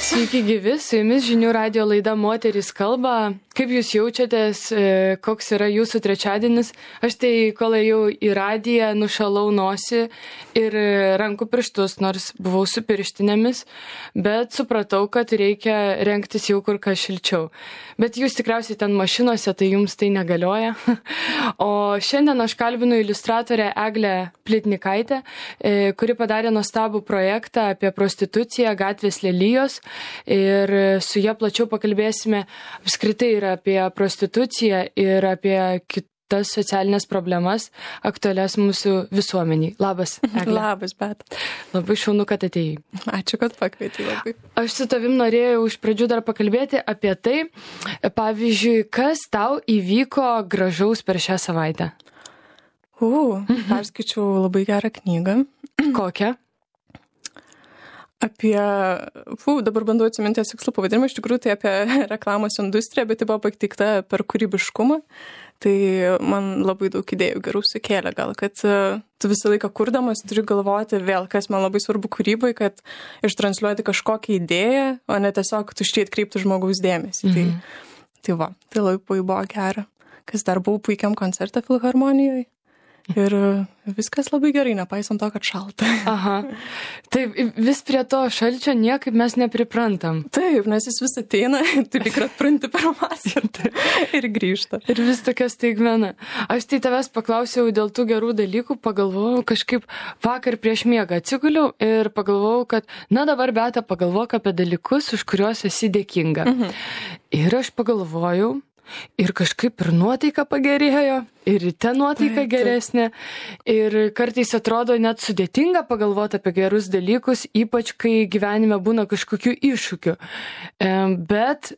Sveiki gyvi, su jumis žinių radio laida Moterys kalba. Kaip jūs jaučiatės, koks yra jūsų trečiadienis? Aš tai, kol ėjau į radiją, nušalau nosį ir rankų pirštus, nors buvau su pirštinėmis, bet supratau, kad reikia rengtis jau kur kas šilčiau. Bet jūs tikriausiai ten mašinose, tai jums tai negalioja. O šiandien aš kalbinu iliustratorę Eglę Plitnikaitę, kuri padarė nuostabų projektą apie prostituciją Gatvės lelijos. Ir su ja plačiau pakalbėsime apskritai ir apie prostituciją ir apie kitas socialinės problemas aktualias mūsų visuomeniai. Labas, Egle. Labas, bet. Labai šaunu, kad atėjai. Ačiū, kad pakvietei labai. Aš su tavim norėjau iš pradžių dar pakalbėti apie tai, pavyzdžiui, kas tau įvyko gražaus per šią savaitę. Perskaičiau labai gerą knygą. Kokią? Dabar bandau atsiminti tikslų pavadinimą, iš tikrųjų tai apie reklamos industriją, bet tai buvo pateikta per kūrybiškumą. Tai man labai daug idėjų gerų sukėlė, gal, kad tu visą laiką kurdamas turi galvoti vėl, kas man labai svarbu kūrybai, kad ištransliuoti kažkokią idėją, o ne tiesiog tuščiai atkreipti žmogaus dėmesį. Tai labai buvo gera. Kas dar buvau puikiam koncerte Filharmonijoje. Ir viskas labai gerai, nepaisant to, kad šalta. Aha. Taip, vis prie to šalčio niekaip mes nepriprantam. Taip, nes jis vis ateina, tu lyg atpranti per masę ir grįžta. Ir vis tokia staigmena. Aš tai tavęs paklausiau dėl tų gerų dalykų, pagalvojau kažkaip vakar prieš miegą atsiguliau ir pagalvojau, kad dabar Beata pagalvok apie dalykus, už kuriuos esi dėkinga. Ir aš pagalvojau, ir kažkaip ir nuotaika pagerėjo, ir ryte nuotaika geresnė. Ir kartais atrodo net sudėtinga pagalvoti apie gerus dalykus, ypač kai gyvenime būna kažkokių iššūkių. Bet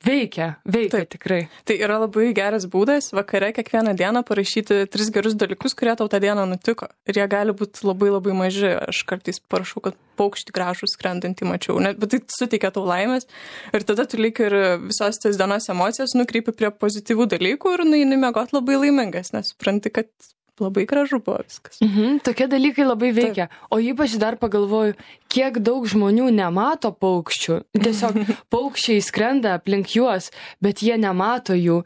veikia Taip. Tikrai. Tai yra labai geras būdas vakare kiekvieną dieną parašyti 3 gerus dalykus, kurie tau tą dieną nutiko. Ir jie gali būti labai labai maži. Aš kartais parašau, kad paukštį gražų skrendantį mačiau. Bet tai suteikia tau laimės. Ir tada tu lyg ir visos tas dienos emocijas nukreipi prie pozityvių dalykų ir nueini miegot labai laimingas, nes supranti, kad labai gražu buvo viskas. Tokie dalykai labai veikia. Taip. O ypač dar pagalvoju, kiek daug žmonių nemato paukščių. Tiesiog paukščiai skrenda aplink juos, bet jie nemato jų,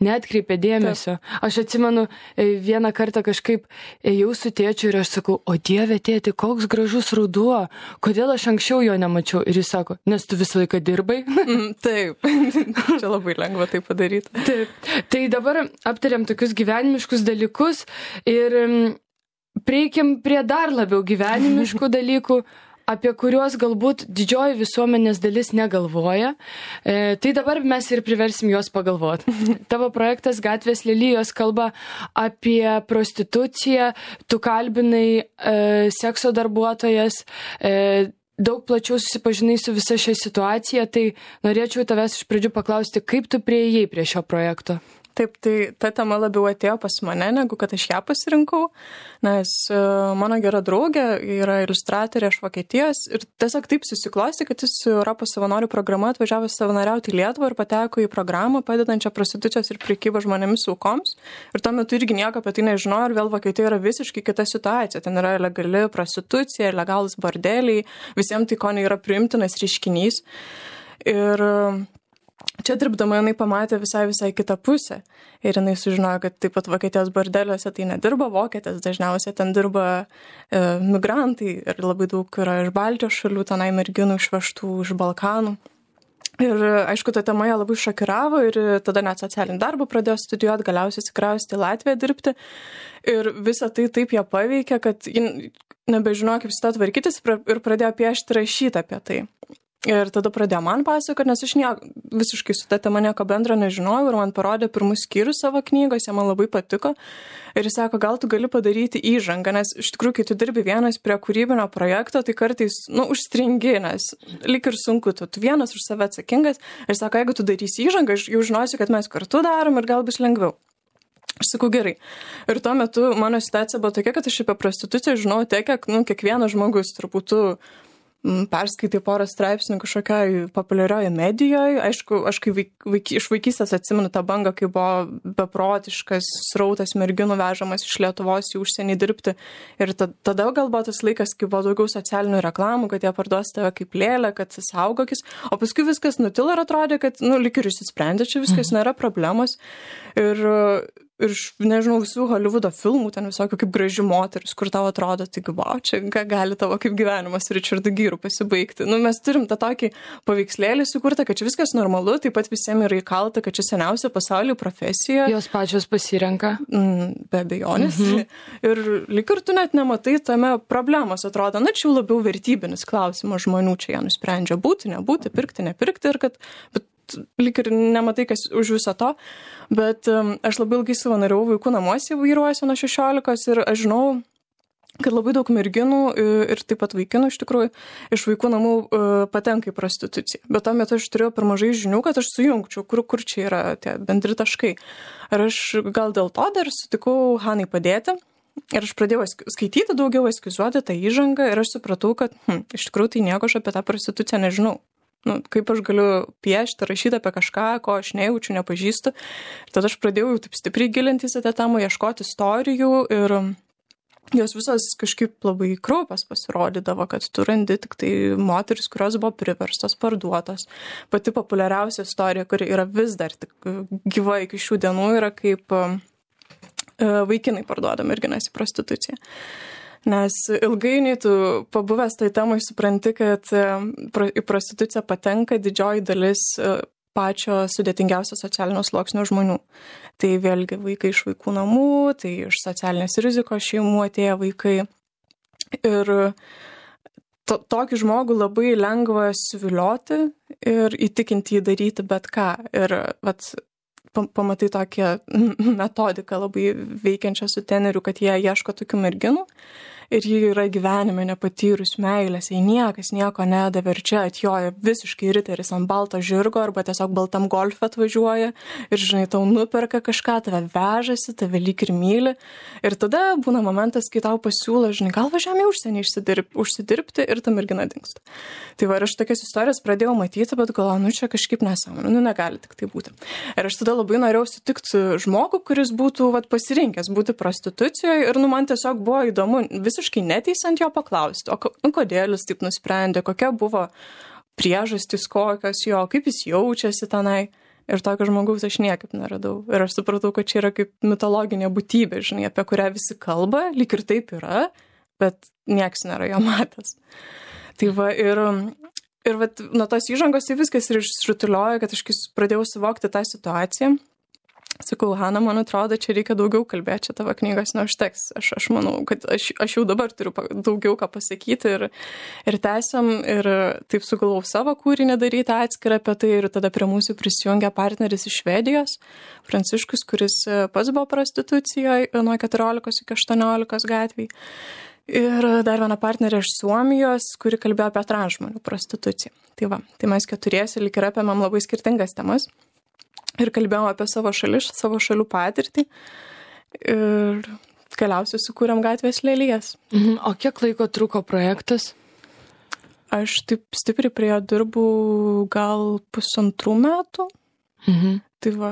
neatkreipia dėmesio. Taip. Aš atsimenu, vieną kartą kažkaip ėjau su tėčiu ir aš sakau, o Dieve tėti, koks gražus ruduo, kodėl aš anksčiau jo nemačiau? Ir jis sako, nes tu visą laiką dirbai. Taip, čia labai lengva tai padaryti. Taip. Tai dabar aptariam tokius gyvenimiškus dalykus. Ir prieikim prie dar labiau gyvenimiškų dalykų, apie kuriuos galbūt didžioji visuomenės dalis negalvoja. Tai dabar mes ir priversim juos pagalvoti. Tavo projektas Gatvės lelijos kalba apie prostituciją, tu kalbinai sekso darbuotojas, daug plačiau susipažinai su visa šia situacija, tai norėčiau tavęs iš pradžių paklausti, kaip tu priėjai prie šio projekto? Taip, tai ta tema labiau atėjo pas mane, negu kad aš ją pasirinkau, nes mano gera draugė yra iliustratorė iš Vokietijos ir tiesiog taip susiklosti, kad jis su Europos savanorių programa atvažiavo savanoriauti į Lietuvą ir pateko į programą padedančią prostitucijos ir prekybos žmonėmis aukoms. Ir tuo metu irgi nieko apie tai nežinojo ir vėl Vokietijoje yra visiškai kita situacija. Ten yra legali prostitucija, legalus bordeliai, visiems tai ko nėra priimtinas reiškinys. Ir čia dirbdama jinai pamatė visai kitą pusę ir jinai sužinojo, kad taip pat Vokietijos bordeliuose tai nedirba vokietės, dažniausiai ten dirba migrantai ir labai daug yra iš Baltijos šalių, tenai merginų išvežtų iš Balkanų. Ir aišku, ta tema ją labai šokiravo ir tada net socialinį darbą pradėjo studijuoti, galiausiai atsikraustė į Latviją dirbti. Ir visą tai taip ją paveikė, kad ji nebežinojo, kaip su to tvarkytis ir pradėjo piešti, rašyti apie tai. Ir tada pradėjo man pasakoti, nes aš visiškai su ta tema nieko bendro nežinojau ir man parodė pirmus skyrius savo knygos, jie man labai patiko. Ir jis sako, gal tu gali padaryti įžangą, nes iš tikrųjų, kai tu dirbi vienas prie kūrybinio projekto, tai kartais, užstringi, nes lyg ir sunku, tu vienas už save atsakingas. Ir sako, jeigu tu darysi įžangą, aš jau žinosiu, kad mes kartu darom ir gal bus lengviau. Aš sakau, gerai. Ir tuo metu mano situacija buvo tokia, kad aš apie prostituciją žinau tiek, kiek kiekvienas žmogus turbūt perskaitai porą straipsnių kažkokioj populiarioje medijoje. Aišku, aš iš vaikystės atsimenu tą bangą, kai buvo beprotiškas srautas merginų vežamas iš Lietuvos į užsienį dirbti. Ir tada gal buvo tas laikas, kai buvo daugiau socialinių reklamų, kad jie parduos tave kaip lėlę, kad saugokis. O paskui viskas nutilo ir atrodė, kad, lyg ir išsisprendė, čia viskas nėra problemos. Ir nežinau, visų Hollywoodo filmų, ten visokių kaip graži moteris, kur tau atrodo, taigi, wow, čia gali tavo kaip gyvenimas Richardu Gyru pasibaigti. Mes turim tą tokį paveikslėlį sukurtą, kad čia viskas normalu, taip pat visiems yra įkalta, kad čia seniausia pasaulyje profesija. Jos pačios pasirenka. Be abejonės. Ir lyg ir tu net nematai tame problemos, atrodo, čia jau labiau vertybinis klausimas žmonių, čia jie nusprendžia būti, nebūti, pirkti, nepirkti ir kad... lyg ir nematai, kas už viso to, bet aš labai ilgai savanoriavau vaikų namuose įvairuojuosi nuo 16 ir aš žinau, kad labai daug merginų ir taip pat vaikinų iš tikrųjų iš vaikų namų patenka į prostituciją. Bet tuo metu aš turėjau per mažai žinių, kad aš sujungčiau, kur čia yra tie bendri taškai. Ir aš gal dėl to dar sutikau Hanai padėti. Ir aš pradėjau skaityti daugiau, eskizuoti tą įžangą ir aš supratau, kad iš tikrųjų tai nieko aš apie tą prostituciją nežinau. Kaip aš galiu piešti, rašyti apie kažką, ko aš nejaučiu, nepažįstu. Ir tada aš pradėjau jau taip stipriai gilintis į tą temą, ieškoti istorijų ir jos visos kažkaip labai kraupios pasirodydavo, kad tu randi tik tai moteris, kurios buvo priverstos, parduotos. Pati populiariausia istorija, kuri yra vis dar tik gyva iki šių dienų, yra kaip vaikinai parduoda merginas į prostituciją. Nes ilgainiui tu pabuvęs tai temai supranti, kad į prostituciją patenka didžioji dalis pačio sudėtingiausio socialinio sluoksnio žmonių. Tai vėlgi vaikai iš vaikų namų, tai iš socialinės rizikos šeimų atėję vaikai. Ir tokį žmogų labai lengva suvilioti ir įtikinti jį daryti bet ką. Ir pamatai tokią metodiką labai veikiančią su teneriu, kad jie ieško tokių merginų. Ir ji yra gyvenime nepatyrus meilės, jai niekas nieko nedavė ir čia atjoja visiškai riteris ant balto žirgo arba tiesiog baltam golfe atvažiuoja ir, žinai, tau nuperka kažką, tave vežasi, tave lyg ir myli. Ir tada būna momentas, kai tau pasiūlo, žinai, gal važiuojam į užsienį užsidirbti ir ta mergina dingsta. Tai va, ir aš tokias istorijas pradėjau matyti, bet galvoju, čia kažkaip nesąmonė, negali tik tai būti. Ir aš tada labai norėjau sutikti žmogų, kuris būtų pasirinkęs būti prostitucijoje ir man tiesiog buvo įdomu visiškai neteisant jo paklausti, o kodėl jis taip nusprendė, kokia buvo priežastys kokios jo, kaip jis jaučiasi tenai. Ir tokio žmogaus aš niekaip neradau. Ir aš supratau, kad čia yra kaip mitologinė būtybė, žinai, apie kurią visi kalba, lyg ir taip yra, bet nieks nėra jo matęs. Tai va, ir nuo tos įžangos tai viskas ir išrutuliojo, kad aš pradėjau suvokti tą situaciją. Sakau, Hana, man atrodo, čia reikia daugiau kalbėti, čia tavo knygos neužteks. Aš manau, kad aš jau dabar turiu daugiau ką pasakyti ir tęsiam ir taip sugalvojau savo kūrinį daryti atskirą apie tai ir tada prie mūsų prisijungia partneris iš Švedijos, Pranciškus, kuris pats buvo prostitucijoje nuo 14 iki 18 gatvėj. Ir dar viena partnerė iš Suomijos, kuri kalbėjo apie transžmonių prostituciją. Tai va, tai mes keturiesi lyg ir apėmėm labai skirtingas temas. Ir kalbėjom apie savo šalių patirtį ir galiausiai sukūrėm gatvės lelijas. O kiek laiko truko projektas? Aš taip stipriai prie jo dirbu gal 1,5 metų. Tai va.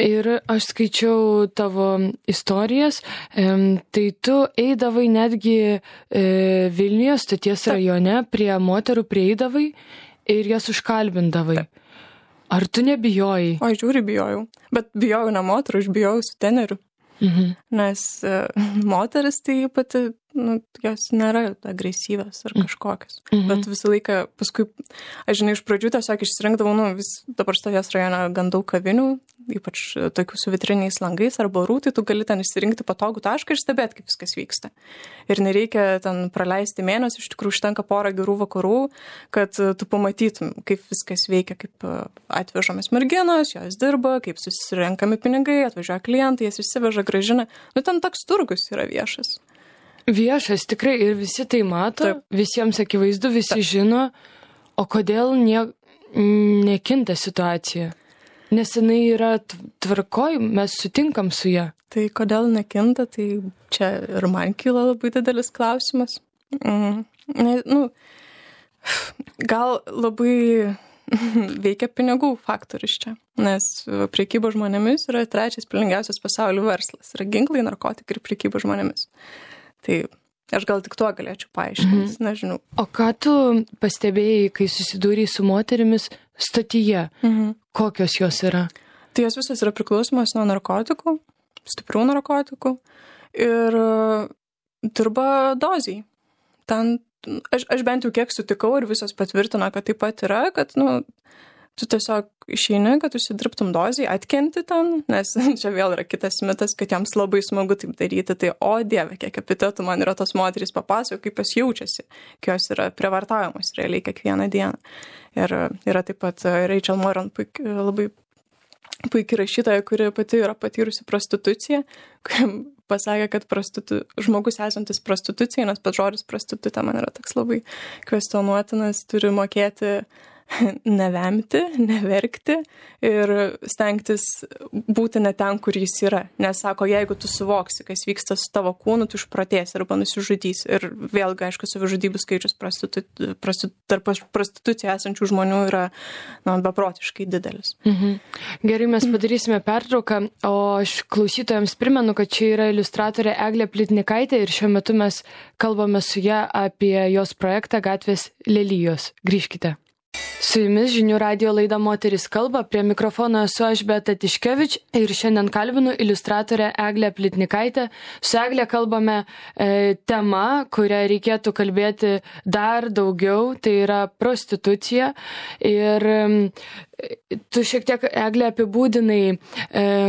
Ir aš skaičiau tavo istorijas, tai tu eidavai netgi Vilniuje, Stoties rajone, prie moterų prieidavai ir jas užkalbindavai. Ar tu nebijojai? O, žiūri, bijojau. Bet bijojau ne moterų, aš bijojau su teneriu. Nes moteris tai pati, jos nėra agresyvios ar kažkokios. Bet visą laiką, paskui, aš žinai, iš pradžių tiesiog išsirinkdavau, dabar Stoties rajone gan daug kavinių, ypač tokių su vitriniais langais ar barų, tai tu gali ten išsirinkti patogų tašką ir stebėti, kaip viskas vyksta. Ir nereikia ten praleisti mėnesį, iš tikrųjų užtenka porą gerų vakarų, kad tu pamatytum, kaip viskas veikia, kaip atvežamas merginos, jos dirba, kaip susirenkami pinigai, atvažiuoja klientai, jas išsiveža, grąžina. Ten toks turgus yra viešas. Viešas, tikrai, ir visi tai mato, taip. Visiems akivaizdu, visi taip. Žino, o kodėl nekinta situacija? Nes jinai yra tvarkoj, mes sutinkam su ją. Tai kodėl nekinta, tai čia ir man kyla labai didelis klausimas. Gal labai veikia pinigų faktorius čia, nes prekyba žmonėmis yra 3 pelningiausias pasaulio verslas. Yra ginklai, narkotikai ir prekyba žmonėmis. Tai aš gal tik tuo galėčiau paaiškinti, nežinau. O ką tu pastebėjai, kai susidūrei su moterimis stotyje? Kokios jos yra? Tai jos visos yra priklausomos nuo narkotikų, stiprių narkotikų ir dirba dozijai. Ten aš bent jau kiek sutikau ir visos patvirtino, kad taip pat yra, kad, tu tiesiog išeini, kad užsidirbtum dozijai, atkenti ten, nes čia vėl yra kitas mitas, kad jiems labai smagu taip daryti, tai o dieve, kiek epitetų man yra tos moterys papasakojo, kaip jos jaučiasi, kai jos yra prievartaujamos realiai kiekvieną dieną. Ir yra taip pat Rachel Moran, labai puikiai rašytoja, kuri pati yra patyrusi prostituciją, kuri pasakė, kad žmogus esantis prostitucijai, nes pats žodis prostitutė man yra toks labai kvestionuotinas, turi mokėti nevemti, neverkti ir stengtis būti ne ten, kur jis yra. Nes sako, jeigu tu suvoksi, kas vyksta su tavo kūnu, tu išprotėsi arba nusižudysi. Ir vėlgi, aišku, savižudybių skaičius tarp prostitucijų esančių žmonių yra beprotiškai didelis. Gerai, mes padarysime pertrauką, o aš klausytojams primenu, kad čia yra iliustratorė Eglė Plitnikaitė ir šiuo metu mes kalbame su ja apie jos projektą Gatvės lelijos. Grįžkite. Su jumis Žinių radijo laida Moteris kalba, prie mikrofono esu aš Beata Tiškevič ir šiandien kalbinu iliustratorę Eglę Plitnikaitę. Su Egle kalbame tema, kurią reikėtų kalbėti dar daugiau, tai yra prostitucija. Ir tu šiek tiek, Egle, apibūdinai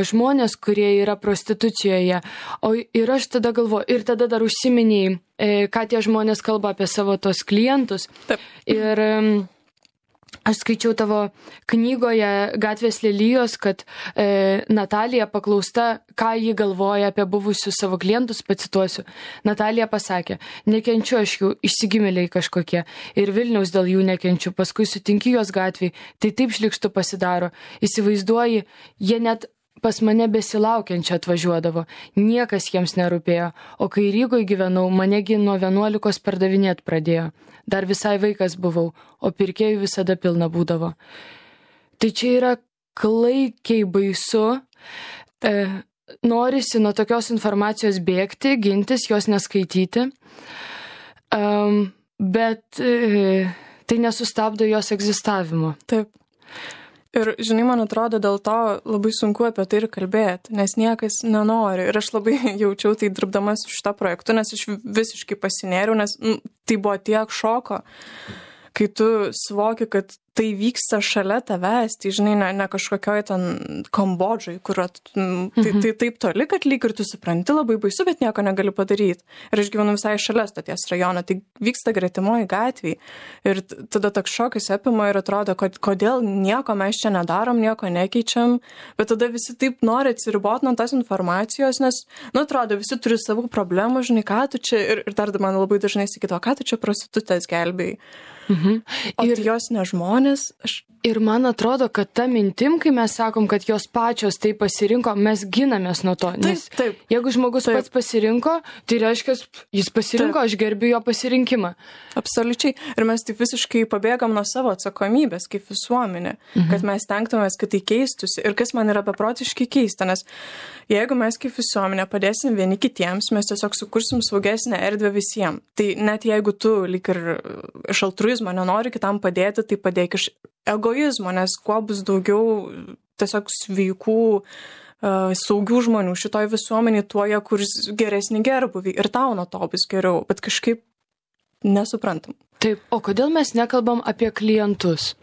žmonės, kurie yra prostitucijoje. Ir aš tada galvoju, ir tada dar užsiminiai, ką tie žmonės kalba apie savo tos klientus. Taip. Ir aš skaičiau tavo knygoje Gatvės lelijos, kad Natalija paklausta, ką ji galvoja apie buvusius savo klientus, pacituosiu. Natalija pasakė, nekenčiu aš jų, išsigimėliai kažkokie ir Vilniaus dėl jų nekenčiu, paskui sutinki juos gatvėj, tai taip šlikštu pasidaro. Įsivaizduoji, jie net pas mane besilaukiančią atvažiuodavo, niekas jiems nerūpėjo, o kai Rygoje gyvenau, manegi nuo 11 pardavinėt pradėjo. Dar visai vaikas buvau, o pirkėjų visada pilna būdavo. Tai čia yra klaikiai baisu, norisi nuo tokios informacijos bėgti, gintis, jos neskaityti, bet tai nesustabdo jos egzistavimo. Taip. Ir, žinai, man atrodo, dėl to labai sunku apie tai ir kalbėti, nes niekas nenori. Ir aš labai jaučiau tai dirbdama su šitą projektu, nes aš visiškai pasinėriau, nes tai buvo tiek šoko, kai tu suvoki, kad tai vyksta šalia tavęs, tai žinai, ne kažkokioj ten Kambodžai, kur tai taip toli, kad lyg ir tu supranti labai baisu, bet nieko negali padaryti. Ir aš gyvenu visai šalia stoties rajono, tai vyksta gretimoji gatvėje. Ir tada toks šokas apima ir atrodo, kad kodėl nieko mes čia nedarom, nieko nekeičiam, bet tada visi taip nori atsiriboti nuo tos informacijos, nes, atrodo, visi turi savų problemų, žinai, ką tu čia, ir dar man labai dažnai sakyto, ką tu čia prostitutės gelbėjai. O ir jos ne žmonės. Ir man atrodo, kad ta mintim, kai mes sakom, kad jos pačios tai pasirinko, mes ginamės nuo to. Nes taip. Jeigu žmogus pats pasirinko, tai reiškia, jis pasirinko, aš gerbiu jo pasirinkimą. Absoliučiai. Ir mes taip visiškai pabėgam nuo savo atsakomybės kaip visuomenė, kad mes tenktumės, kad tai keistusi. Ir kas man yra beprotiškai keista, nes jeigu mes kaip visuomenė padėsim vieni kitiems, mes tiesiog sukursim saugesnę erdvę visiems. Tai net jeigu tu lyg ir iš altruizmo nenori kitam padėti, tai padėk iš egoizmo, nes kuo bus daugiau tiesiog sveikų, saugių žmonių šitoj visuomenėje, tuo jie kurs geresnį gerbuvį ir tau nuo to bus geriau, bet kažkaip nesuprantam. Taip, o kodėl mes nekalbam apie klientus?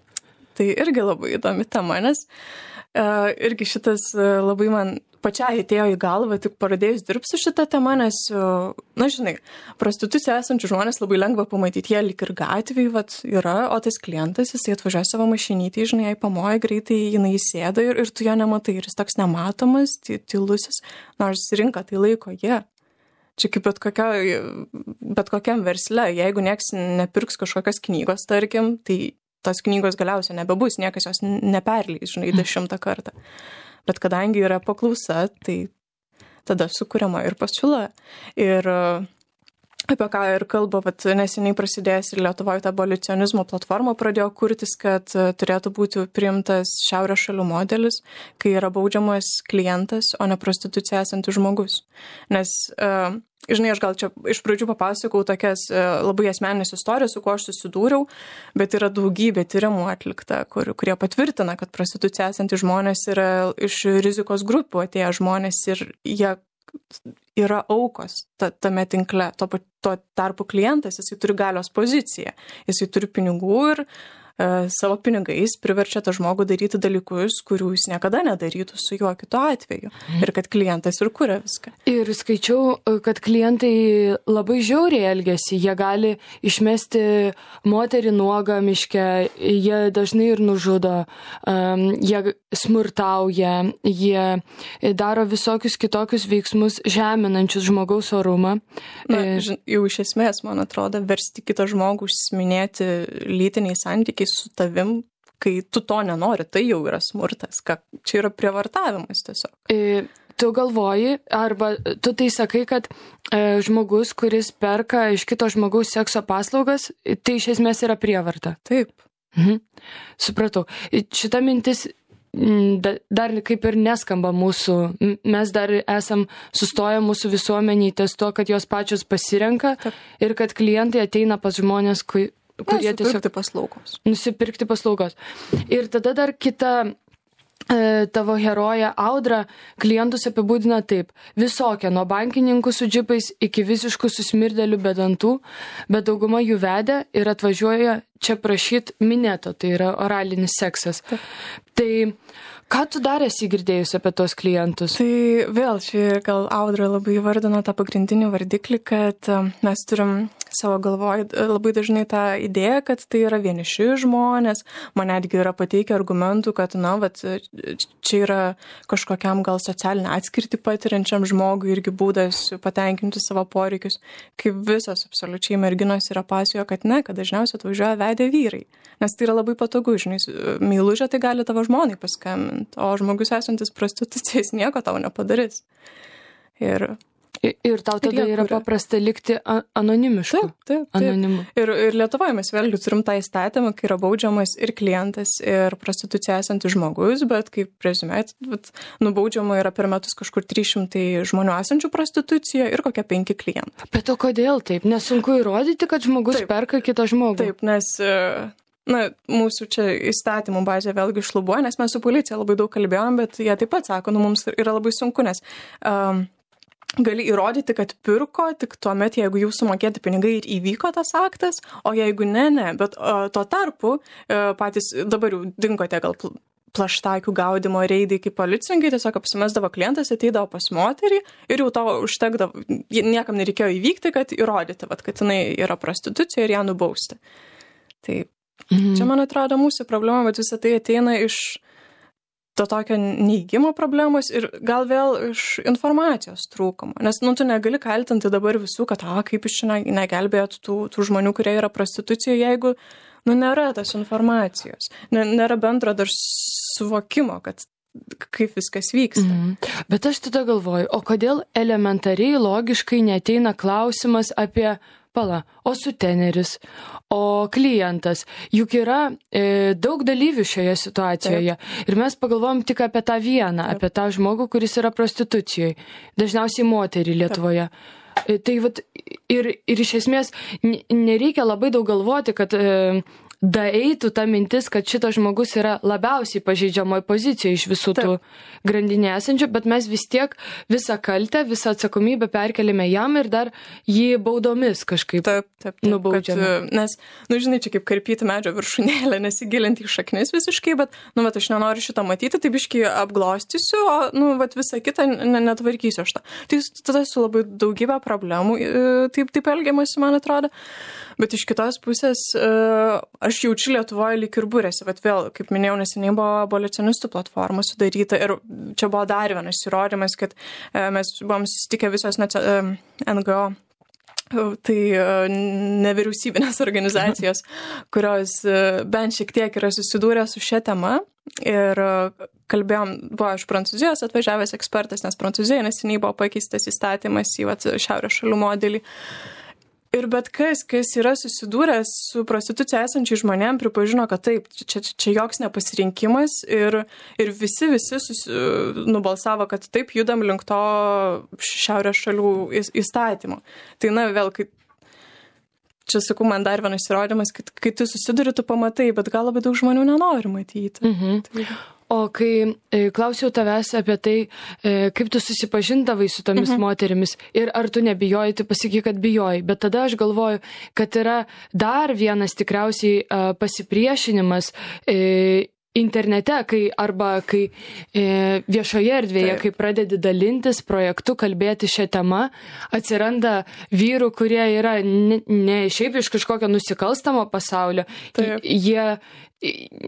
Tai irgi labai įdomi tema, nes irgi šitas labai man pačiai atėjo į galvą, tik pradėjus dirbti su šitą temą, nes, žinai, prostitucija esančių žmonės labai lengva pamatyti, jie lyg ir gatvėje yra, o tas klientas, jisai atvažiuoja savo mašinytį, žinai, jai pamoja greitai, jinai įsėda ir tu jo nematai, ir jis toks nematomas, tylusis, nors rinka tai laiko jie. Čia kaip bet kokiam versle, jeigu nieks nepirks kažkokios knygos, tarkim, tai tos knygos galiausiai nebebus, niekas jos neperleis, žinai, 10 kartą. Bet kadangi yra paklausa, tai tada sukuriama ir pasiūla. Ir apie ką ir kalba, vat, neseniai prasidėjęs ir Lietuvoje ta abolicionizmo platforma pradėjo kurtis, kad turėtų būti priimtas šiaurės šalių modelis, kai yra baudžiamas klientas, o ne prostitucija esantis žmogus. Nes, žinai, aš gal čia iš pradžių papasakau tokias labai asmeninės istorijas, su kuo aš susidūriau, bet yra daugybė tyrimų atlikta, kurie patvirtina, kad prostitucija esantis žmonės yra iš rizikos grupių atėję žmonės ir jie yra aukos tame tinkle. Tuo tarpu klientas, jisai turi galios poziciją, jisai turi pinigų ir savo pinigais priverčia tą žmogų daryti dalykus, kurių jis niekada nedarytų su juo kitu atveju. Ir kad klientas ir kuria viską. Ir skaičiau, kad klientai labai žiauriai elgiasi. Jie gali išmesti moterį nuogą miške, jie dažnai ir nužudo, jie smurtauja, jie daro visokius kitokius veiksmus žeminančius žmogaus orumą. Jau iš esmės, man atrodo, versti kitą žmogų užsiminėti lytiniais santykiais su tavim, kai tu to nenori, tai jau yra smurtas. Čia yra prievartavimas tiesiog. Tu galvoji, arba tu tai sakai, kad žmogus, kuris perka iš kito žmogaus sekso paslaugas, tai iš esmės yra prievarta. Taip. Supratau. Šita mintis dar kaip ir neskamba mūsų. Mes dar esam sustoję mūsų visuomeniai ties to, kad jos pačios pasirenka. Taip. Ir kad klientai ateina pas žmonės, kurie tiesiog nusipirkti paslaugos. Ir tada dar kita tavo heroja Audra klientus apibūdina taip: visokia, nuo bankininkų su džipais iki visiškų susmirdėlių be dantų, bet dauguma jų vedė ir atvažiuoja čia prašyt minėto, tai yra oralinis seksas. Tai ką tu dar esi girdėjus apie tos klientus? Tai vėl čia gal Audra labai įvardino tą pagrindinį vardiklį, kad mes turim savo galvoj labai dažnai tą idėją, kad tai yra vieniši žmonės. Man netgi yra pateikę argumentų, kad čia yra kažkokiam gal socialinę atskirtį patiriančiam žmogui irgi būdas patenkinti savo poreikius. Kaip visos absoliučiai merginos yra pasakojo, kad ne, kad dažniausiai atvažiuoja vedę vyrai. Nes tai yra labai patogu, žinai, meilužė tai gali tavo žmonai paskambinti, o žmogus esantis prostitucijais nieko tau nepadarys. Ir tau tada yra paprasta likti anonimišku. Taip. Anonimu. Ir Lietuvoje mes vėlgi turim tą įstatymą, kai yra baudžiamas ir klientas, ir prostitucija esantis žmogus, bet kaip prezumėt, nubaudžiama yra per metus kažkur 300 žmonių esančių prostitucijoje ir kokie 5 klientai. Bet o kodėl taip? Nesunku įrodyti, kad žmogus perka kitą žmogų? Taip, nes mūsų čia įstatymų bazė vėlgi šlubuoja, nes mes su policija labai daug kalbėjom, bet jie taip pat sako, mums yra labai sunku, nes gali įrodyti, kad pirko tik tuomet, jeigu jau sumokėti pinigai ir įvyko tas aktas, o jeigu ne, bet tuo tarpu patys dabar jau dingo tie gal plaštakių gaudimo reidai, kaip policininkai tiesiog apsimesdavo klientas, ateidavo pas moterį ir jau to užtekdavo, niekam nereikėjo įvykti, kad įrodyti, kad jinai yra prostitucija ir ją nubausti. Tai čia, man atrodo, mūsų problema, bet visą tai ateina iš to tokio neigimo problemos ir gal vėl iš informacijos trūkumo. Nes tu negali kaltinti dabar visų, kad kaip iš čia negelbėjot tų žmonių, kurie yra prostitucijoje, jeigu nėra tos informacijos, nėra bendro dar suvokimo, kad kaip viskas vyksta. Bet aš tada galvoju, o kodėl elementariai logiškai neateina klausimas apie o suteneris, o klientas. Juk yra daug dalyvių šioje situacijoje. Taip. Ir mes pagalvojom tik apie tą vieną, apie tą žmogų, kuris yra prostitucijoje. Dažniausiai moterį Lietuvoje. Taip. Tai ir iš esmės nereikia labai daug galvoti, kad daeitų ta mintis, kad šitas žmogus yra labiausiai pažeidžiamoje pozicijoje iš visų tų grandinė esančių, bet mes vis tiek visą kaltę, visą atsakomybę perkeliame jam ir dar jį baudomis kažkaip nubaudžiame. Nes, žinai, čia kaip karpyti medžio viršūnėlę, nesigilinti į šaknis visiškai, bet, aš nenoriu šitą matyti, tai biškai apglostysiu, o, visą kitą netvarkysiu aš tą. Tai tada su labai daugybė problemų taip elgiamasi, man atrodo. Bet iš kitos pusės aš jaučiu Lietuvoje lyg ir būrėsi. Vėl, kaip minėjau, neseniai buvo abolicionistų platforma sudaryta ir čia buvo dar vienas įrodymas, kad mes buvom susitikę visos NGO, tai nevyriausybinės organizacijos, kurios bent šiek tiek yra susidūrę su šia tema. Ir kalbėjom, buvo iš Prancūzijos atvažiavęs ekspertas, nes Prancūzijoje neseniai buvo pakeistas įstatymas į šiaurės šalių modelį. Ir bet kas yra susidūręs su prostitucija esančiai žmonėm, pripažino, kad taip, čia joks nepasirinkimas ir visi nubalsavo, kad taip judam link to šiaurės šalių įstatymo. Tai vėl, čia sakau, man dar vienas įrodymas, kai tu susiduri, tu pamatai, bet gal labai daug žmonių nenori matyti. Tai... O kai klausiau tavęs apie tai, kaip tu susipažindavai su tomis moterimis ir ar tu nebijojai, tu pasakai, kad bijojai, bet tada aš galvoju, kad yra dar vienas tikriausiai pasipriešinimas internete, kai viešoje erdvėje, kai pradedi dalintis projektu, kalbėti šią temą, atsiranda vyrų, kurie yra ne šiaip iš kažkokio nusikalstamo pasaulio. Jie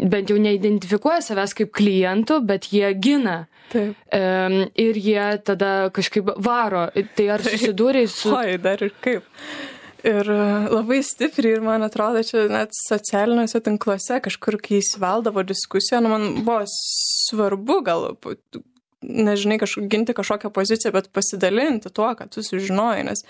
bent jau neidentifikuoja savęs kaip klientų, bet jie gina. Taip. Ir jie tada kažkaip varo. Tai ar susidūrei su... Oi, dar ir kaip. Ir labai stipriai, ir man atrodo, čia net socialiniuose tinkluose kažkur, kai įsiveldavo diskusija, man buvo svarbu gal, nežinai, ginti kažkokią poziciją, bet pasidalinti tuo, kad tu sužinojai, nes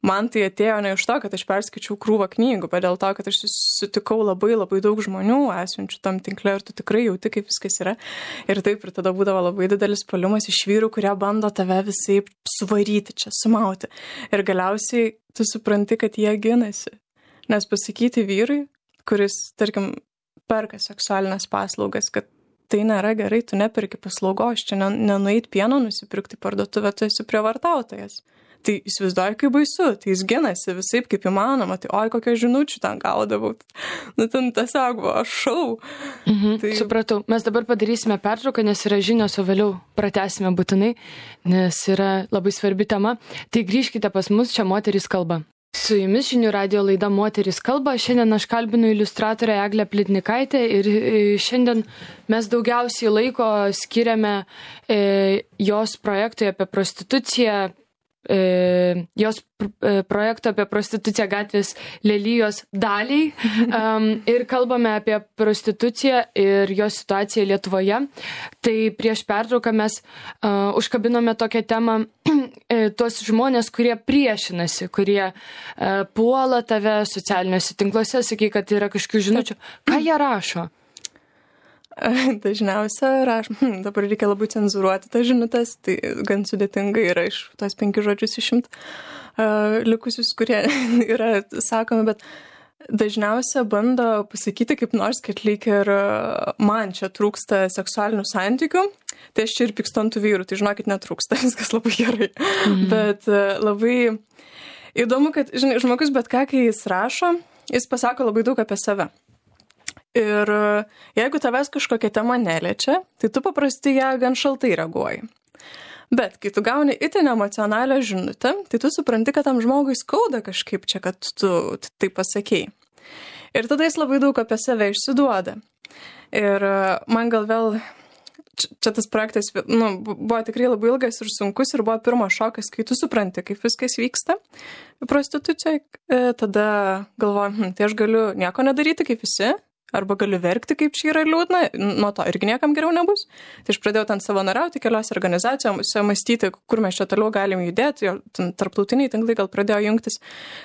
man tai atėjo ne iš to, kad aš perskaičiau krūvą knygų, bet dėl to, kad aš sutikau labai labai daug žmonių esančių tam tinkle ir tu tikrai jauti, kaip viskas yra. Ir taip, ir tada būdavo labai didelis puolimas iš vyrų, kurie bando tave visaip suvaryti čia, sumauti. Ir galiausiai tu supranti, kad jie ginasi. Nes pasakyti vyrui, kuris, tarkim, perka seksualinės paslaugas, kad tai nėra gerai, tu neperki paslaugos, čia nenueit pieno nusipirkti parduotuvę, tu esi prievartautojas. Tai įsivaizduoju, kaip baisu, tai jis ginasi visaip kaip įmanoma, tai oi, kokią žinučių ten gaudavau. Ten tiesiog buvo šau. Tai... Supratau, mes dabar padarysime pertrauką, nes yra žinios, o vėliau pratęsime būtinai, nes yra labai svarbi tema. Tai grįžkite pas mus, čia Moterys kalba. Su jumis Žinių radijo laida Moterys kalba. Šiandien aš kalbinu iliustratorę Eglę Plitnikaitę ir šiandien mes daugiausiai laiko skiriame jos projektui apie prostituciją, jos projekto apie prostituciją gatvės lelijos daliai ir kalbame apie prostituciją ir jos situaciją Lietuvoje. Tai prieš pertrauką mes užkabinome tokią temą tuos žmonės, kurie priešinasi, kurie puola tave socialiniuose tinkluose, sakai, kad yra kažkokių žinučių. Ką jie rašo? Dažniausia rašo, dabar reikia labai cenzuruoti tas žinutės, tai gan sudėtingai yra iš tos 5 žodžius išimt likusius, kurie yra sakomi, bet dažniausia bando pasakyti kaip nors, kad lyg ir man čia trūksta seksualinių santykių, tai aš čia ir pykstu ant tų vyrų, tai žinokit, netrūksta, viskas labai gerai. Bet labai įdomu, kad žmogus bet ką, kai jis rašo, jis pasako labai daug apie save. Ir jeigu tavęs kažkokia tema neliečia, tai tu paprastai ją gan šaltai reaguoji. Bet kai tu gauni itin emocionalią žinutę, tai tu supranti, kad tam žmogui skauda kažkaip čia, kad tu tai pasakei. Ir tada jis labai daug apie save išsiduoda. Ir man gal vėl, čia tas projektas buvo tikrai labai ilgas ir sunkus ir buvo pirmas šokas, kai tu supranti, kaip viskas vyksta prostitucijai, tada galvoju, tai aš galiu nieko nedaryti kaip visi, arba galiu verkti, kaip čia yra liūdna, nuo to irgi niekam geriau nebus. Tai aš pradėjau ten savanoriauti keliose organizacijose, mąstyti, kur mes čia toliau galim judėti, jo tarptautiniai tinklai gal pradėjo jungtis.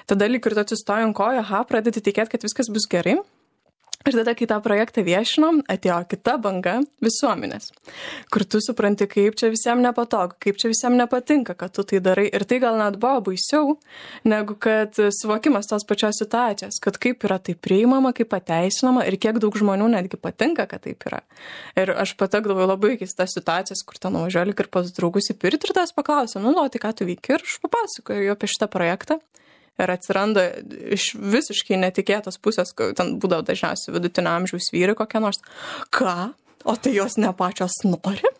Tada lyg ir tu atsistoji ant kojo, pradedi tikėti, kad viskas bus gerai. Ir tada, kai tą projektą viešinom, atėjo kita banga visuomenės, kur tu supranti, kaip čia visiems nepatogu, kaip čia visiems nepatinka, kad tu tai darai. Ir tai gal net buvo baisiau, negu kad suvokimas tos pačios situacijos, kad kaip yra tai priimama, kaip pateisinama ir kiek daug žmonių netgi patinka, kad taip yra. Ir aš patekdavau labai keistas situacijas, kur ten nuvažiuoju ir pas draugus į pirtį ir tas paklausė, tai ką tu veiki, ir aš papasakoju apie šitą projektą. Ir atsiranda iš visiškai netikėtos pusės, ten būdavo dažniausiai vidutinio amžiaus vyrai kokie nors. Ką? O tai jos ne pačios nori?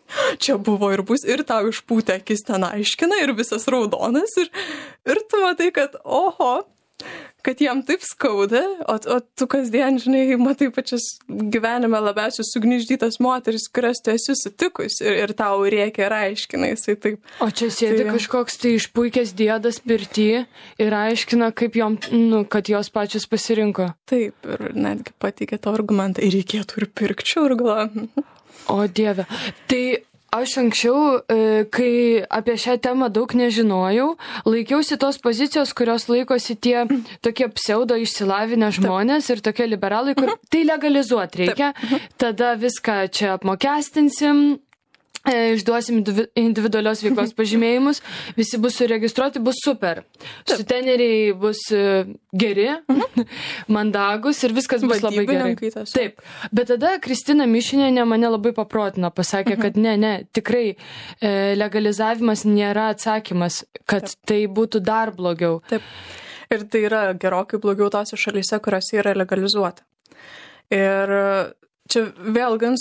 Čia buvo ir bus, ir tau išpūtė akis ten aiškina, ir visas raudonas. Ir tu matai, kad oho, kad jam taip skauda, o tu kasdien, žinai, matai pačias gyvenime labiausiai sugniždytas moteris, kurias tu esi sutikus ir tau rėkia ir aiškina jisai taip. O čia sėdi kažkoks tai išpuikęs dėdas pirty ir aiškina, kaip jom, kad jos pačios pasirinko. Taip, ir netgi pateikė tą argumentą, ir reikėtų ir pirkčiau, ir galvoju. O Dieve, tai Aš anksčiau, kai apie šią temą daug nežinojau, laikiausi tos pozicijos, kurios laikosi tie tokie pseudo išsilavinę žmonės ir tokie liberalai, kur tai legalizuoti reikia, tada viską čia apmokestinsim, išduosim individualios veiklos pažymėjimus, visi bus suregistruoti, bus super. Suteneriai bus geri, mandagus ir viskas bus labai gerai. Taip. Bet tada Kristina Mišinienė mane labai paprotino, pasakė, kad ne, tikrai legalizavimas nėra atsakymas, kad tai būtų dar blogiau. Taip. Ir tai yra gerokai blogiau tose šalyse, kuriuose yra legalizuota. Ir čia vėl gan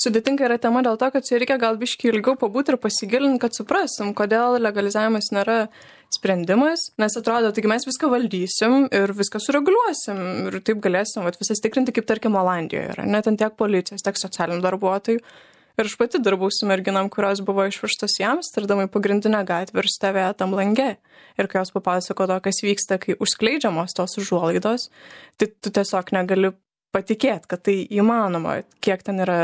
sudėtinga yra tema dėl to, kad čia reikia gal biškį ilgiau pabūti ir pasigilinti, kad suprasim, kodėl legalizavimas nėra sprendimas, nes atrodo, taigi mes viską valdysim ir viską sureguliuosim ir taip galėsim visas tikrinti, kaip tarkim Olandijoje yra, net ten tiek policijos, tiek socialinių darbuotojų. Ir aš pati dirbau su merginam, kurios buvo išvežtos į Amsterdamą į pagrindinę gatvę ir stovėjo tam lange. Ir kai jos papasakojo, kas vyksta, kai užskleidžiamos tos užuolaidos, tai tu tiesiog negali patikėti, kad tai įmanoma, kiek ten yra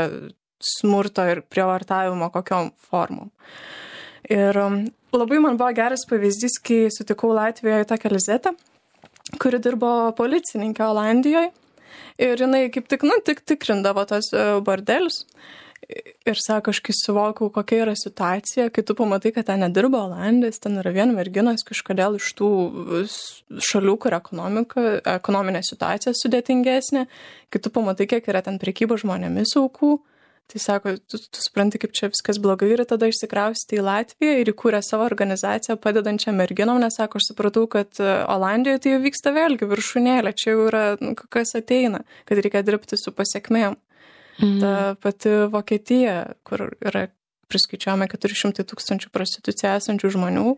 smurto ir prievartavimo kokiom formom. Ir labai man buvo geras pavyzdys, kai sutikau Latvijoje tokią Lizetę, kuri dirbo policininkė Olandijoje. Ir jinai kaip tik tikrindavo tos bordelius. Ir sako, aš kai suvokiau, kokia yra situacija, kai tu pamatai, kad ten nedirba Olandijos, ten yra viena merginos kažkodėl iš tų šalių, kur ekonominė situacija sudėtingesnė, kai tu pamatai, kiek yra ten prekyba žmonėmis aukų, tai sako, tu supranti, kaip čia viskas blogai ir tada išsikraustė į Latviją ir įkūrė savo organizaciją padedančią merginom, nes sako, aš supratau, kad Olandijoje tai jau vyksta vėlgi viršūnėlė, čia jau yra kas ateina, kad reikia dirbti su pasiekmėm. Ta pati Vokietija, kur yra priskaičiuojama 400 000 prostituciją esančių žmonių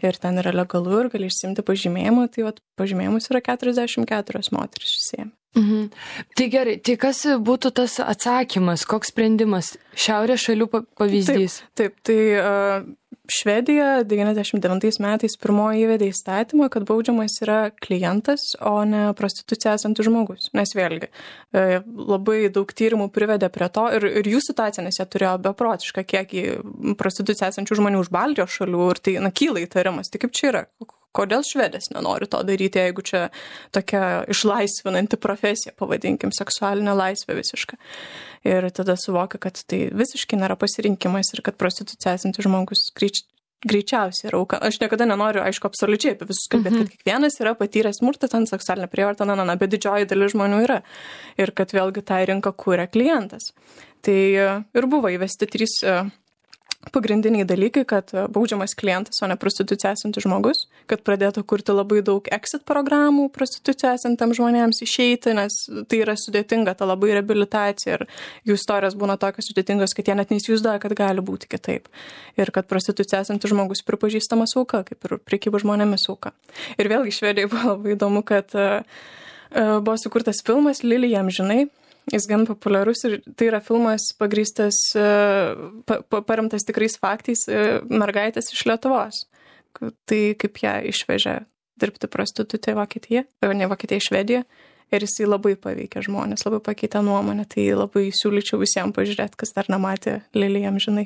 ir ten yra legalu ir gali išsiimti pažymėjimą, tai pažymėjimus yra 44 moteris išsiėmė. Tai gerai, tai kas būtų tas atsakymas, koks sprendimas? Šiaurės šalių pavyzdys. Taip, tai Švedija 99 metais pirmoji įvedė įstatymą, kad baudžiamas yra klientas, o ne prostitucija esantis žmogus. Nes vėlgi, labai daug tyrimų privedė prie to ir jų situacija, nes jie turėjo beprotišką kiekį prostitucija esančių žmonių už Baltijos šalių ir tai kyla įtarimas. Tai kaip čia yra? Kodėl Švedės nenori to daryti, jeigu čia tokia išlaisvinanti profesija, pavadinkim, seksualinė laisvė visiška. Ir tada suvokia, kad tai visiškai nėra pasirinkimas ir kad prostitucija esantis žmogus greičiausiai yra auka. Aš niekada nenoriu, aišku, absoliučiai apie visus kalbėti, kad kiekvienas yra patyręs smurtą, ten seksualinę prievartą, bet didžioji dalis žmonių yra. Ir kad vėlgi tą rinką kūrė klientas. Tai ir buvo įvesti 3 pagrindiniai dalykai, kad baudžiamas klientas, o ne prostitucija esantis žmogus, kad pradėtų kurti labai daug exit programų prostitucija esantiems žmonėms išeiti, nes tai yra sudėtinga, ta labai reabilitacija ir jų istorijos būna tokios sudėtingos, kad jie net neįsivaizduoja, kad gali būti kitaip. Ir kad prostitucija esantis žmogus pripažįstamas auka, kaip ir prekyba žmonėmis auka. Ir vėlgi Švedijai buvo labai įdomu, kad buvo sukurtas filmas Lilija amžinai. Jis gan populiarus ir tai yra filmas pagrįstas, paremtas tikrais faktais mergaitės iš Lietuvos. Tai kaip ją išvežė dirbti prostitutė Vokietija, ne Vokietija, Švedija. Ir jisai labai paveikė žmonės, labai pakeitė nuomonę. Tai labai siūlyčiau visiems pažiūrėti, kas dar nematė Lilija amžinai.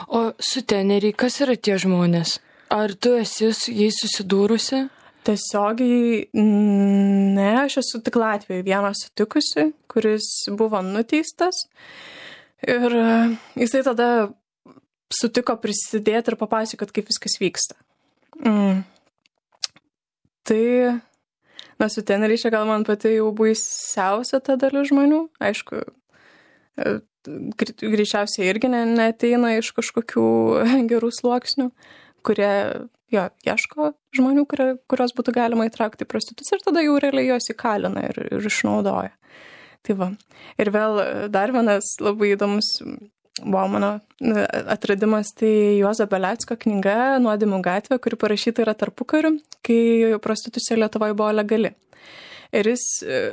O suteneriai, kas yra tie žmonės? Ar tu esi su jais susidūrusi? Tiesiogiai ne, aš esu tik Latvijoje vieną sutikusi, kuris buvo nuteistas ir jisai tada sutiko prisidėti ir papasakoti, kaip viskas vyksta. Tai, suteneriai čia gal man pati jau baisiausia ta dalis žmonių, aišku, greičiausiai irgi neateina iš kažkokių gerų sluoksnių, kurie ieško žmonių, kurios būtų galima įtraukti į prostituciją ir tada jau realiai jos įkalina ir išnaudoja. Tai va. Ir vėl dar vienas labai įdomus buvo mano atradimas, tai Juozo Belecko knyga Nuodėmių gatvė, kuri parašyta yra tarpukariu, kai prostitucija Lietuvoje buvo legali. Ir jis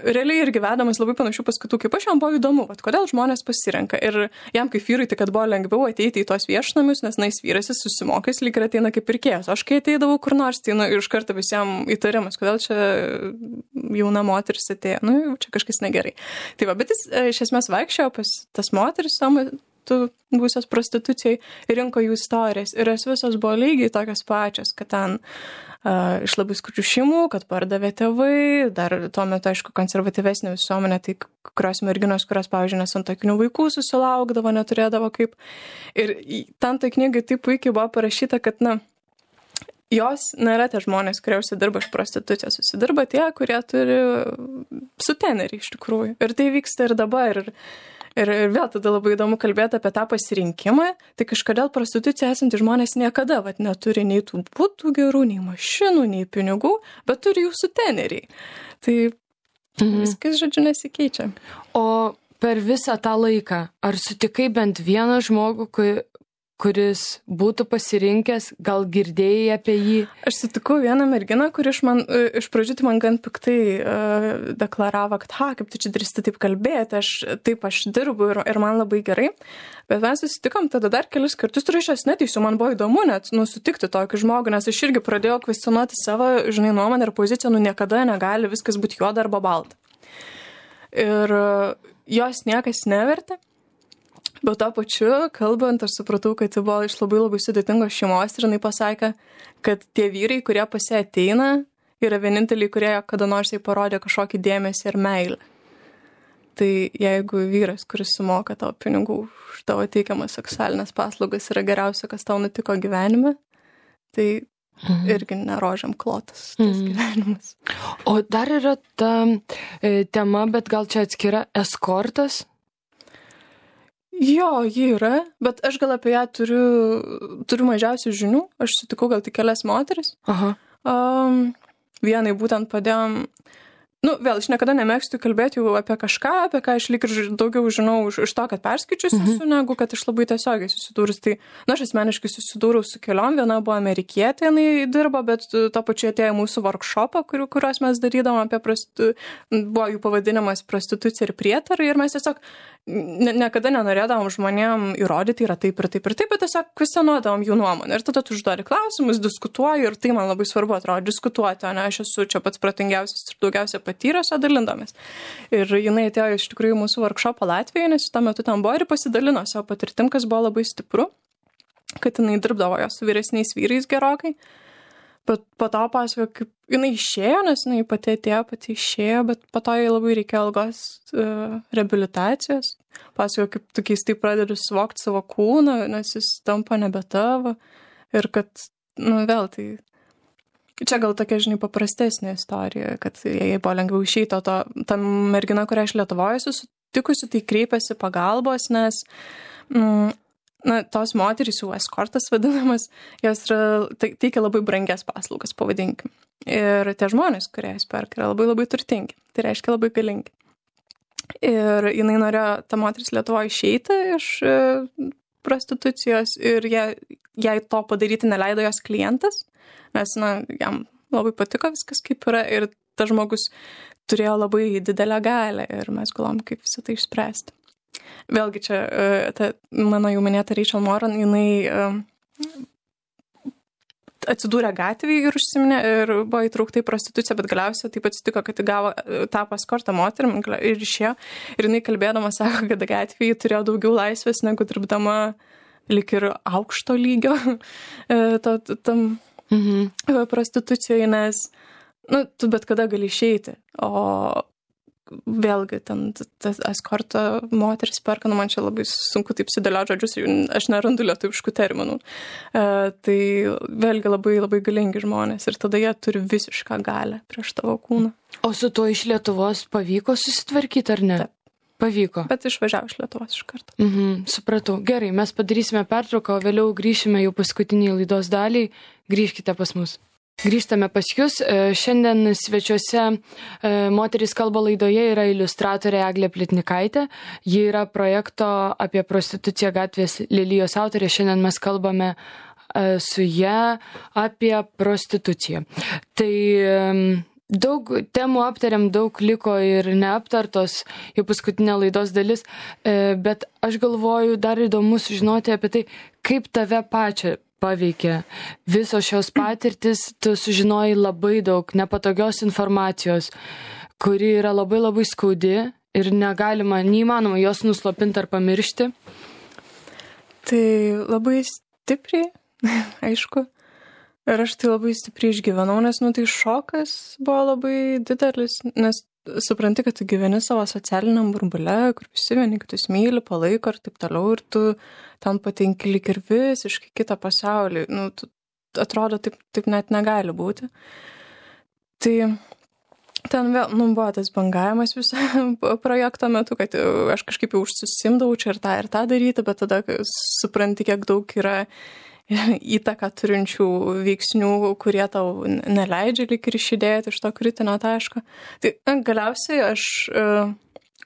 realiai irgi vedamas labai panašių paskatų, kaip aš, jam buvo įdomu, kodėl žmonės pasirenka. Ir jam kaip vyrui, tai kad buvo lengviau ateiti į tos viešnamius, nes jis vyras, jis susimokęs, lyg ir ateina kaip pirkėjas. Aš kai ateidavau kur nors, tai iš karto visiems įtarimas, kodėl čia jauna moteris atėjo, čia kažkas negerai. Tai va, bet jis iš esmės vaikščiojo pas tas moteris metu būsios prostitucijai, rinko jų istorijas. Ir jos visos buvo lygiai tokios pačios, kad ten iš labai skurdžių šeimų, kad pardavė tėvai, dar tuo metu, aišku, konservatyvesnė visuomenė, tai kurios merginos, kurios, pavyzdžiui, nesantuokinių vaikų susilaukdavo, neturėdavo kaip. Ir ten tai knygai taip puikiai buvo parašyta, kad, jos nėra tie žmonės, kurie užsidirba iš prostitucijos, susidirba tie, kurie turi sutenerį iš tikrųjų. Ir tai vyksta ir dabar. Ir vėl tada labai įdomu kalbėti apie tą pasirinkimą, tai kažkodėl prostitucija esanti žmonės niekada neturi nei tų būtų gerų, nei mašinų, nei pinigų, bet turi jų suteneriai. Tai viskas, žodžiu, nesikeičia. O per visą tą laiką, ar sutikai bent vieną žmogų, kuris būtų pasirinkęs, gal girdėjai apie jį? Aš sutikau vieną merginą, kuri iš pradžių tai man gan piktai deklaravo, kad kaip tu čia drįsti taip kalbėti, aš dirbu ir man labai gerai. Bet mes susitikom tada dar kelis kartus, ir aš neteisiu, man buvo įdomu net sutikti tokį žmogų, nes aš irgi pradėjau kvestionuoti savo, nuomonę ir poziciją, niekada negali viskas būti juoda arba balta. Ir jos niekas nevertė. Bet to pačiu, kalbant, aš supratau, kad tai buvo iš labai labai sudėtingos šeimos ir jinai pasakė, kad tie vyrai, kurie pas ją ateina, yra vieninteliai, kurie kada nors jai parodė kažkokį dėmesį ir meilę. Tai jeigu vyras, kuris sumoka tau pinigų už tavo teikiamas seksualinės paslaugas, yra geriausia, kas tau nutiko gyvenime, tai irgi nerožiam klotas tas gyvenimas. O dar yra ta tema, bet gal čia atskira eskortas? Jo, ji yra, bet aš gal apie ją turiu mažiausiai žinių. Aš sutikau gal tik kelias moteris. Aha. Vienai būtent padėjom. Vėl, aš niekada nemėgstu kalbėti jau apie kažką, apie ką aš lyg ir daugiau žinau iš to, kad perskaičius esu, negu kad aš labai tiesiogiai susidūrus. Tai, aš asmeniškai susidūriau su keliom, viena buvo amerikietė, jinai dirbo, bet to pačiu atėjo mūsų workshopą, kuriuos mes darydavom buvo jų pavadinimas prostitucija ir prietarai, ir mes tiesiog niekada nenorėdavom žmonėm įrodyti, yra taip ir taip ir taip, bet tiesiog kvestionuodavom jų nuomonę. Ir tada tu užduodi klausimus, diskutuoji, ir tai man labai svarbu atrodo diskutuoti, o ne aš esu čia pats protingiausias ir daugiausia patyręs, o dalindomės. Ir jinai atėjo iš tikrųjų mūsų workshopą Latvijoje, nes tuo metu ten buvo ir pasidalino savo patirtim, kas buvo labai stipru, kad jinai dirbdavo jo su vyresniais vyrais gerokai. Bet po to pasakojo, kaip jinai išėjo, nes jinai pati išėjo, bet po to jai labai reikėjo ilgos reabilitacijos. Pasakojo, kaip tu keistai pradedi suvokti savo kūną, nes jis tampa nebe tavo. Ir kad, vėl tai... Čia gal tokia, paprastesnė istorija, kad jai buvo lengviau išeiti, o ta mergina, kurią aš Lietuvoje susitikusi, tai kreipėsi pagalbos, nes tos moterys, jau eskortas vadinamas, jos teikia labai brangias paslaugas, pavadinkim. Ir tie žmonės, kurie jas perka, yra labai labai turtingi. Tai reiškia labai galingi. Ir jinai norėjo, ta moteris Lietuvoje, išeiti iš prostitucijos ir jai to padaryti neleido jos klientas, nes, jam labai patiko viskas kaip yra ir tas žmogus turėjo labai didelę galią ir mes galvom, kaip visą tai išspręsti. Vėlgi čia, mano jau minėta Rachel Moran, jinai atsidūrė gatvėje ir užsiminė ir buvo įtraukta į prostituciją, bet galiausiai taip atsitiko, kad gavo tapo eskortą moterim ir išėjo. Ir jinai kalbėdama sako, kad gatvėje turėjo daugiau laisvės negu dirbdama lyg ir aukšto lygio tam prostitucijoje, nes tu bet kada gali išeiti, o vėlgi, tas eskorto moteris perka, man čia labai sunku taip sudėlioti žodžius, aš nerandu lietuviškų terminų. Tai vėlgi labai, labai galingi žmonės ir tada jie turi visišką galią prieš tavo kūną. O su tuo iš Lietuvos pavyko susitvarkyti, ar ne? Taip. Pavyko. Bet išvažiavo iš Lietuvos iš karto. Supratau. Gerai, mes padarysime pertrauką, o vėliau grįšime jau paskutinį laidos dalį. Grįžkite pas mus. Grįžtame pas jūs. Šiandien svečiuose Moterys kalba laidoje yra iliustratorė Eglė Plitnikaitė. Ji yra projekto apie prostituciją gatvės Lelijos autorė. Šiandien mes kalbame su ja apie prostituciją. Tai daug temų aptariam, daug liko ir neaptartos, jau paskutinė laidos dalis, bet aš galvoju, dar įdomu sužinoti apie tai, kaip tave pačią paveikė visos šios patirtis, tu sužinojai labai daug nepatogios informacijos, kuri yra labai labai skaudi ir neįmanoma jos nuslopinti ar pamiršti. Tai labai stipriai, aišku. Ir aš tai labai stipriai išgyvenau, nes, tai šokas buvo labai didelis, nes supranti, kad tu gyveni savo socialiniam burbule, kur visi vieni kitus myli, palaiko ir taip toliau, ir tu ten patenki lyg ir visiškai kitą pasaulį. Atrodo, taip net negali būti. Tai ten vėl, buvo tas bangavimas viso projekto metu, kad aš kažkaip jau užsisimdavau čia ir tą daryti, bet tada supranti, kiek daug yra įtaką turinčių veiksnių, kurie tau neleidžia lyg ir išjudėti iš to kritinio taško. Tai galiausiai aš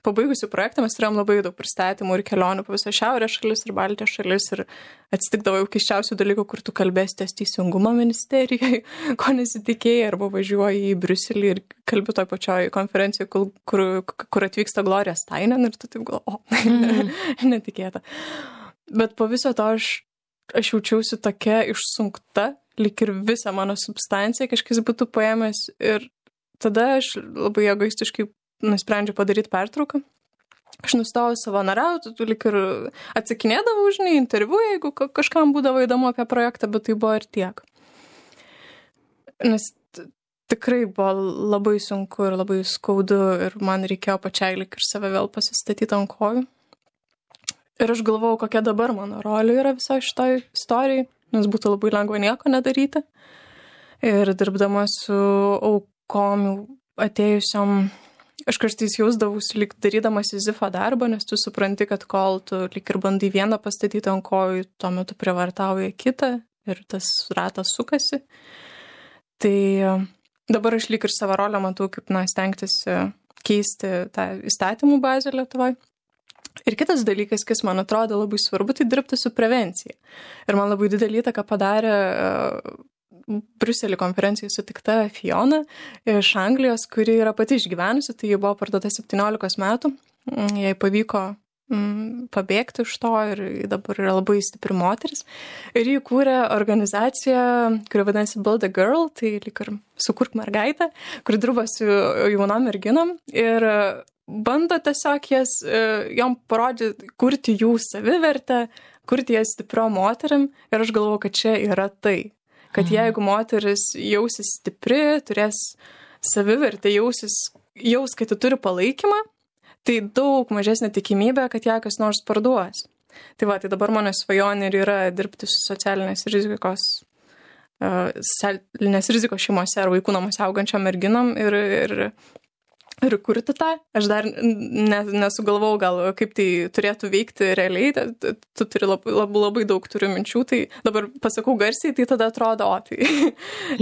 pabaigusi projektą, mes turėjom labai daug pristatymų ir kelionių po visą Šiaurės šalis ir Baltijos šalis ir atsitikdavo jau keisčiausių dalykų, kur tu kalbėsi ties Teisingumo ministerijai, ko nesitikėjai, arba važiuoji į Briuselį ir kalbi toj pačioj konferencijoje, kur atvyksta Gloria Steinem ir tu taip netikėta. Bet po viso to aš jaučiausi tokia išsunkta, lyg ir visą mano substanciją kažkas būtų paėmęs ir tada aš labai egoistiškai nusprendžiau padaryti pertrauką. Aš nustojau savanoriauti, lyg ir atsakinėdavau, interviu, jeigu kažkam būdavo įdomu apie projektą, bet tai buvo ir tiek. Nes tikrai buvo labai sunku ir labai skaudu ir man reikėjo pačiai lyg ir save vėl pasistatyti ant kojų. Ir aš galvojau, kokia dabar mano rolė yra viso šitoj istorijai, nes būtų labai lengva nieko nedaryti. Ir dirbdama su aukom atėjusiom, aš kartais jausdavausi lyg darydamas Sizifo darbą, nes tu supranti, kad kol tu lyg ir bandai vieną pastatyti ant kojų, tuo metu privartauja kitą ir tas ratas sukasi. Tai dabar aš lyg ir savo rolę matau, kaip stengtis keisti tą įstatymų bazę Lietuvoje. Ir kitas dalykas, kas man atrodo labai svarbu, tai dirbti su prevencija. Ir man labai didelį įtaką padarė Briuselį konferencijoje sutikta Fiona iš Anglijos, kuri yra pati išgyvenusi, tai ji buvo parduota 17 metų, jai pavyko pabėgti iš to ir dabar yra labai stipri moteris. Ir ji kūrė organizaciją, kuri vadinasi Build a Girl, tai lyg ir sukurk mergaitę, kuri dirba su jaunom merginom ir bando tiesiog jom parodyti, kurti jų savivertę, kurti jas stiprio moterim ir aš galvoju, kad čia yra tai. Kad jeigu moteris jausis stipri, turės savivertę, jaus, kad ji turi palaikymą, tai daug mažesnė tikimybė, kad ją kas nors parduos. Tai dabar mano svajonė ir yra dirbti su socialinės rizikos šeimose ar vaikų namuose augančiom merginom ir kurti tą. Aš dar nesugalvojau gal, kaip tai turėtų veikti realiai, tu turi labai daug turiu minčių, tai dabar pasakau garsiai, tai tada atrodo,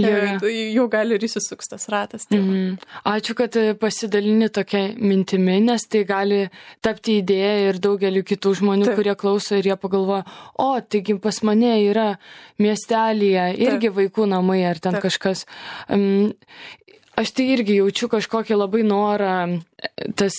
jau gali ir įsisuks tas ratas. Ačiū, kad pasidalini tokia mintimi, nes tai gali tapti idėja ir daugeliu kitų žmonių, kurie klauso ir jie pagalvoja, taigi pas mane yra miestelyje irgi vaikų namai ar ten kažkas. Aš tai irgi jaučiu kažkokį labai norą tas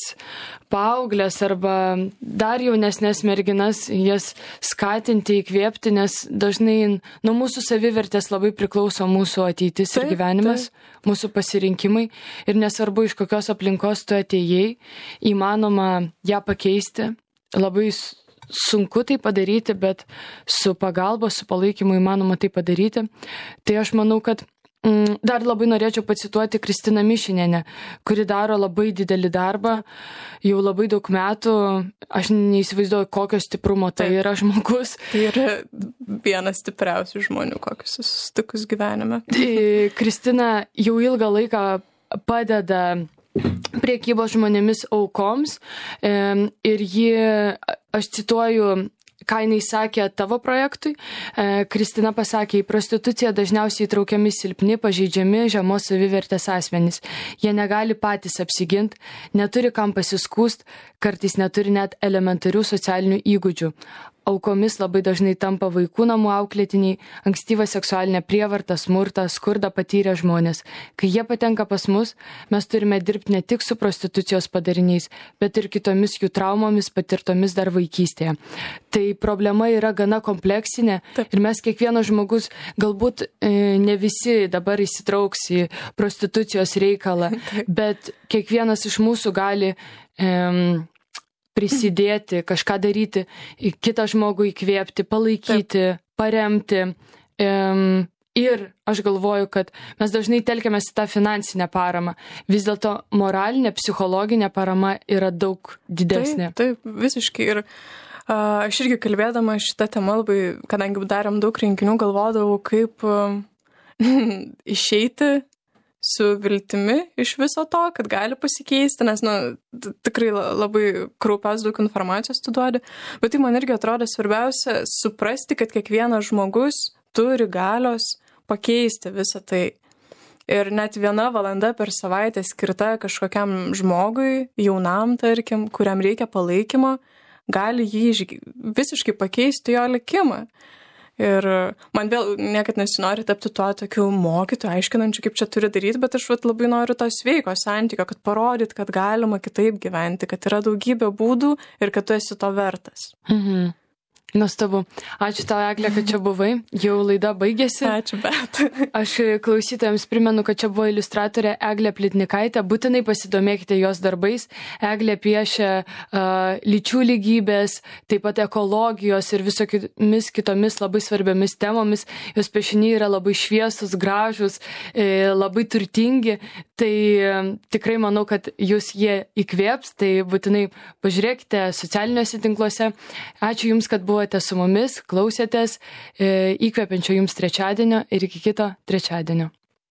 paauglės arba dar jaunesnės merginas jas skatinti, įkvėpti, nes dažnai nuo mūsų savivertės labai priklauso mūsų ateitis ir gyvenimas, mūsų pasirinkimai ir nesvarbu, iš kokios aplinkos tu atėjai, įmanoma ją pakeisti. Labai sunku tai padaryti, bet su pagalba, su palaikymu įmanoma tai padaryti. Tai aš manau, kad dar labai norėčiau pacituoti Kristiną Mišinienę, kuri daro labai didelį darbą, jau labai daug metų, aš neįsivaizduoju, kokio stiprumo tai yra žmogus. Tai yra vienas stipriausių žmonių, kokius susitikus gyvenime. Kristina jau ilgą laiką padeda priekybos žmonėmis aukoms ir ji, aš cituoju, ką jinai sakė tavo projektui. Kristina pasakė, į prostituciją dažniausiai įtraukiami silpni, pažeidžiami, žemos savivertės asmenys. Jie negali patys apsiginti, neturi kam pasiskūst, kartais neturi net elementarių socialinių įgūdžių. Aukomis labai dažnai tampa vaikų namų auklėtiniai, ankstyva seksualinė prievarta, smurtą, skurdą patyrę žmonės. Kai jie patenka pas mus, mes turime dirbti ne tik su prostitucijos padariniais, bet ir kitomis jų traumomis patirtomis dar vaikystėje. Tai problema yra gana kompleksinė ir mes kiekvienas žmogus, galbūt ne visi dabar įsitrauks į prostitucijos reikalą, bet kiekvienas iš mūsų gali prisidėti, kažką daryti, kitą žmogų įkvėpti, palaikyti, paremti. Ir aš galvoju, kad mes dažnai telkiamės į tą finansinę paramą. Vis dėlto moralinė, psichologinė parama yra daug didesnė. Taip, visiškai. Ir aš irgi kalbėdama šitą temą labai, kadangi darėm daug renginių, galvodavau, kaip išeiti su viltimi iš viso to, kad gali pasikeisti, nes tikrai labai kraupios daug informacijos tu duodi. Bet tai man irgi atrodo svarbiausia suprasti, kad kiekvienas žmogus turi galios pakeisti visą tai. Ir net 1 valanda per savaitę skirta kažkokiam žmogui, jaunam, tarkim, kuriam reikia palaikymo, gali jį visiškai pakeisti jo likimą. Ir man vėl niekad nesinori tapti tuo tokiu mokytoju, aiškinančiu, kaip čia turi daryti, bet aš labai noriu to sveiko santykio, kad parodyt, kad galima kitaip gyventi, kad yra daugybė būdų ir kad tu esi to vertas. Nuostabu. Ačiū tau, Eglė, kad čia buvai. Jau laida baigėsi. Ačiū, bet. Aš klausytojams primenu, kad čia buvo iliustratorė Eglė Plitnikaitė. Būtinai pasidomėkite jos darbais. Eglė piešia lyčių lygybės, taip pat ekologijos ir visokiamis kitomis labai svarbiomis temomis. Jos piešiniai yra labai šviesus, gražus, labai turtingi. Tai tikrai manau, kad jūs jie įkvėps. Tai būtinai pažiūrėkite socialiniuose tinkluose. Ačiū Jums, kad buvote su mumis, klausėtės, įkvepiančio Jums trečiadienio ir iki kito trečiadienio.